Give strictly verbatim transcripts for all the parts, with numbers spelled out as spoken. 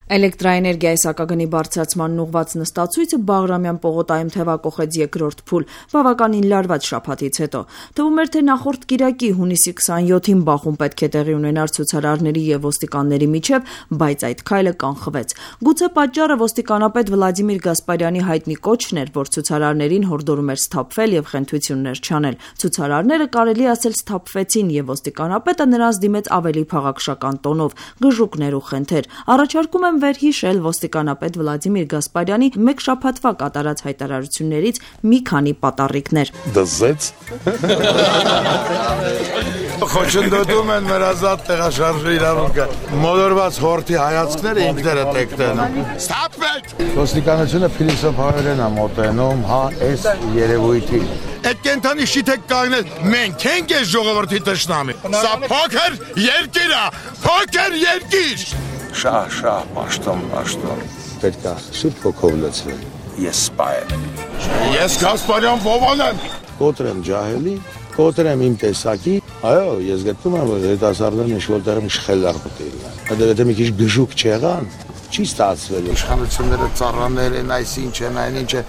Էլեկտրաէներգիայի սակագնի բարձրացման ուղղված նստացույցը Բաղրամյան պողոտայում թևակոխեց երկրորդ փուլ, բավականին լարված շաբաթից հետո։ Թվում էր, թե նախորդ կիրակի հունիսի քսաներկուին բախում պետք է տեղի ունենար ցուցարարների եւ ոստիկանների միջև, բայց այդ քայլը կանխվեց։ Գուցե պատճառը ոստիկանապետ Վլադիմիր Գասպարյանի հայտնի կոչն էր, որ ցուցարարներին հորդորում էր սթափվել եւ խենթություններ չանել։ Ցուցարարները կարելի ասել սթափվեցին եւ ոստիկանապետը նրանց դիմեց ավելի փաղաքշական տոնով, գժուկներ ու խենթեր։ Առաջարկում եմ վերհիշել ոստիկանապետ Վլադիմիր Գասպարյանի մեկ շաբաթվա կատարած հայտարարություններից մի քանի պատառիկներ։ Դզեց Խոչընդոտում են մեր ազատ տեղաշարժի իրավունքը։ Մոլորված հորթի հայացքները ինքները տեկտեն։ Ստապվեք։ Ոստիկանությունը փիլիսոփայորեն է մոտենում, հա, այս երևույթի։ Այդ կենթանի շիթեք կանգնել, մենք ենք այս ժողովրդի տշնամի։ Սա փոքր երկիր է, փոքր երկիր։ Շահ, շահ, պաշտոն, պաշտոն։ Պետք է սուրբ հոգով լցվել։ Ես սպա եմ։ Ես Գասպարյան Վովան եմ։ Կոտրեմ ջահելի, կոտրեմ իմ տեսակի։ Այո, ես գտնում եմ, որ հետասարդներն ինչ-որտեղ մի շխելար պետք է։ Հədə եթե մի քիչ գժուկ չեղան, չի ստացվել։ Իշխանությունները ծառաներ են, այս ինչ են, այն ինչ է։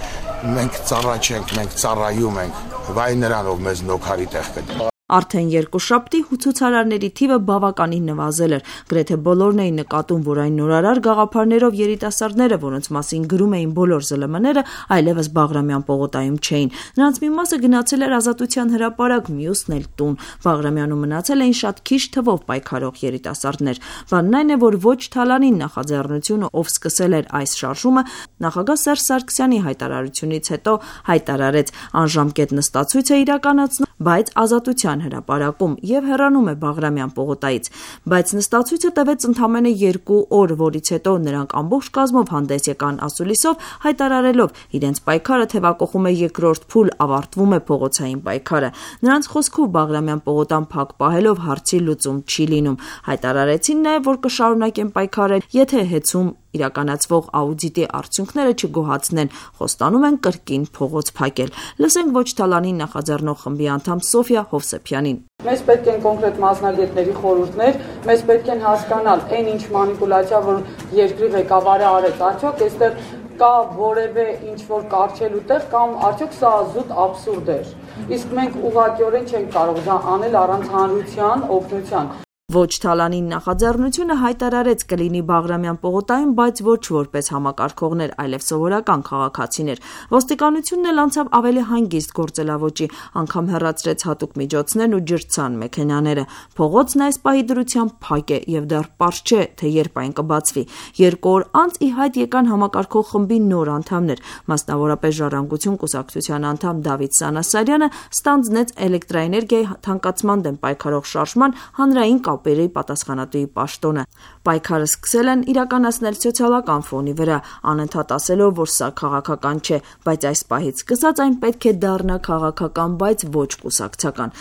Մենք ծառա չենք, մենք ծառայում ենք։ Վայ նրան, ով մեզ նոքարի տեղ կդի։ Արդեն երկուշաբթի ցուցարարների թիվը բավականին նվազել էր։ Գրեթե բոլորն էին նկատում, որ այն նորարար գաղափարներով երիտասարդները, որոնց մասին գրում էին բոլոր զլ էմ-ները, այլևս Բաղրամյան պողոտայում չէին։ Նրանց մի մասը գնացել էր Ազատության հրապարակ, մյուսն էլ տուն։ Բաղրամյանում մնացել էին շատ քիչ թվով պայքարող երիտասարդներ։ Բանն այն է, որ ոչ Թալանին նախաձեռնությունը, ով սկսել էր այս շարժումը, նախագահ Սերժ Սարգսյանի հայտարարությունից հետո հայտարարեց անժամկետ նստացույց է իրականացնում, բայց Ազատության հրապարակում եւ հեռանում է Բաղրամյան պողոտայից, բայց նստացույցը տևեց ընդամենը երկու օր, որից հետո նրանք ամբողջ կազմով հանդես եկան ասուլիսով, հայտարարելով իրենց պայքարը թևակոխում է երկրորդ փուլ, ավարտվում է փողոցային պայքարը։ Նրանց խոսքով Բաղրամյան պողոտան փակ պահելով հարցի լուծում չի լինում։ Հայտարարեցին նաեւ, որ կշարունակեն պայքարել, եթե հեծում իրականացվող աուդիտի արդյունքները չգոհացնեն, խոստանում են կրկին փողոց փակել։ Լսենք ոչ Թալանին նախաձեռնող խմբի անդամ Սոֆիա Հովսեփյանին։ Մեզ պետք են կոնկրետ մասնագետների խորհուրդներ, մեզ պետք են հասկանալ այն ինչ մանիպուլյացիա, որ երկրի ղեկավարը արեց, արդյոք այստեղ կա որևէ ինչ որ կարճելու տեղ կամ արդյոք սա զուտ աբսուրդ էր։ Իսկ մենք ուղղակիորեն չենք կարող դա անել առանց հանրության օգնության։ Ոչ Թալանին նախաձեռնությունը հայտարարեց կլինի Բաղրամյան պողոտայում, բայց ոչ որպես համակարգողներ, այլև սովորական քաղաքացիներ։ Ոստիկանությունն էլ անցավ ավելի հանգիստ գործելավոճի, անգամ հեռացրեց հատուկ միջոցներն ու ջրցան մեքենաները։ Փողոցն այս պահի դրությամբ փակ է եւ դեռ պարզ չէ, թե երբ այն կբացվի։ Երկու օր անց ի հայտ եկան համակարգող խմբի նոր անդամներ, մասնավորապես Ժառանգություն կուսակցության անդամ Դավիթ Սանասարյանը ստանձնեց էլեկտրաէներգիայի թանկացման դեմ պայքարող շարժման հանրային պերի պատասխանատուի պաշտոնը։ Պայքարը սկսել են իրականացնել սոցիալական ֆոնի վրա, անընդհատ ասելով, որ սա քաղաքական չէ, բայց այս պահից սկսած այն պետք է դառնա քաղաքական, բայց ոչ կուսակցական։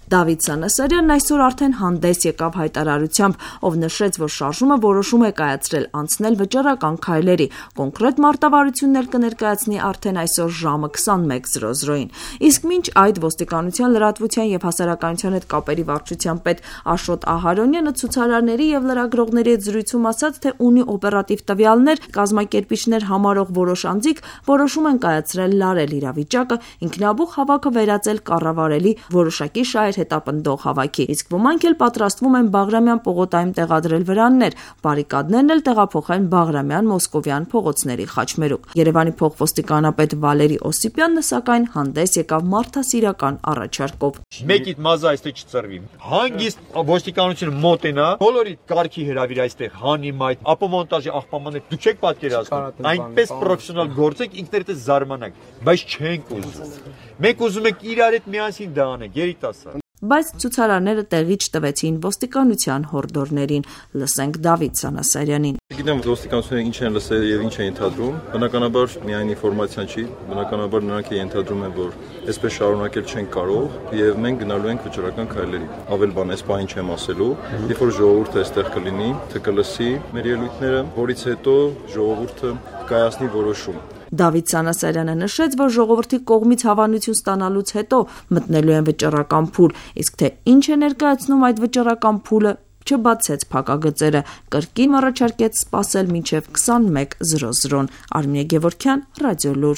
Դավիթ Սանասարյանն այսօր արդեն հանդես եկավ հայտարարությամբ, ով նշեց, որ շարժումը որոշում է կայացրել անցնել վճռական քայլերի, կոնկրետ մարտավարությունն էլ կներկայացնի արդեն այսօր ժամը քսանմեկ զրո զրոին։ Իսկ մինչ այդ ոստիկանության լրատվության եւ հասարակայնության հետ կապերի վարչության պետ Աշոտ Ահարոնյանը ցուցարարների եւ լրագրողների հետ զրույցում ասաց, թե ունի օպերատիվ տվյալներ, կազմակերպիչներ համարող որոշ անձիկ որոշում են կայացրել լարել իրավիճակը, ինքնաբուխ հավաքը վերածել կառավարելի որոշակի շահեր հետապնդող հավաքի, իսկ ոմանք էլ պատրաստվում են Բաղրամյան պողոտայում տեղադրել վրաններ, բարիկադներն էլ տեղափոխեն Բաղրամյան Մոսկովյան փողոցների խաչմերուկ։ Երևանի փոխոստիկանապետ Վալերի Օսիպյանն սակայն հանդես եկավ մարդասիրական առաջարկով։ Մեկիդ մազը այստեղ չծրվի։ Հանգիստ ոստիկանությունը մոտենա, բոլորի կարգի հրավիր այստեղ հանի մայթ, ապոմոնտաժի աղբամաններ, դու չեք պատկերացնում։ Այնպես պրոֆեսիոնալ գործեք, ինքներդ զարմանաք, բայց չենք ուզում։ Մենք ուզում ենք իրար հետ միասին դա անենք, երիտասարդ։ Բայց ցուցարարները տեղի չտվեցին ոստիկանության հորդորներին։ Լսենք Դավիթ Սանասարյանին։ Գիտեմ ոստիկանությունը ինչ են լսել եւ ինչ են ենթադրում։ Բնականաբար միայն ինֆորմացիան չի, բնականաբար նրանք ենթադրում են, որ այսպես շարունակել չեն կարող եւ մենք գնալու ենք վճռական քայլերի։ Ավել բան այս բանը չեմ ասելու, երբ որ ժողովուրդը այստեղ կլինի, թե կլսի մեր ելույթները, որից հետո ժողովուրդը կայացնի որոշում։ Դավիթ Սանասարյանը նշեց, որ ժողովրդի կողմից հավանություն ստանալուց հետո մտնելու են վճռական փուլ, իսկ թե ինչ է ներկայացնում այդ վճռական փուլը չբացեց փակագծերը, կրկին առաջարկեց սպասել մինչև քսանմեկ զրո զրոն։ Արմինե Գևորգյան, Ռադիոլուր։